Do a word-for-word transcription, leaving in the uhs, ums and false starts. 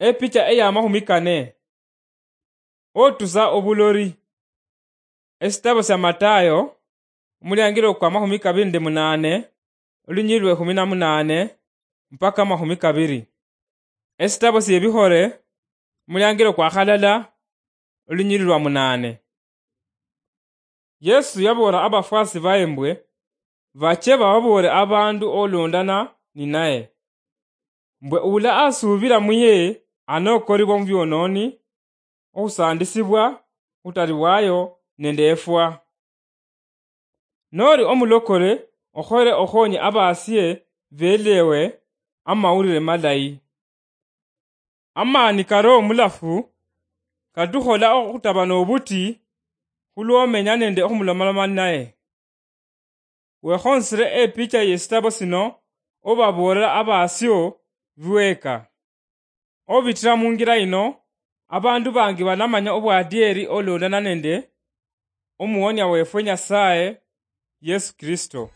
Epicha ey'amakhumi kane. Otusa obulori. Esitabo sya Matayo, omuliangiro kwa makhumi kabiri nende munaane, olunyiriri lwe khumi na munaane mpaka makhumi kabiri. Esitabo sy'ebihore, omuliangiro kwa khalala, olunyiriri lwa munaane. Yesu yaboola abafwasi baye mbwe bache bababoole abandu olondana ninaye, mbwe ula asuubila muye anokoribwa mu byonooni, okhusandisibwa, khutaliwayo nende efwa. Noli omulokole, okhole okhonye abasie belewe amawulire malayi. Amaani karo omulafu katukhola okhutaba nobuti khulwomenya nende okhumulomaloma naye. Wekhonsire epicha yesitabo sino obaboolera abasio biweka. Obitira mungira ino, abandu bangi banamanya obwadieri olondana nende omuwonia wefwe Nyasaye Yesu Kristo.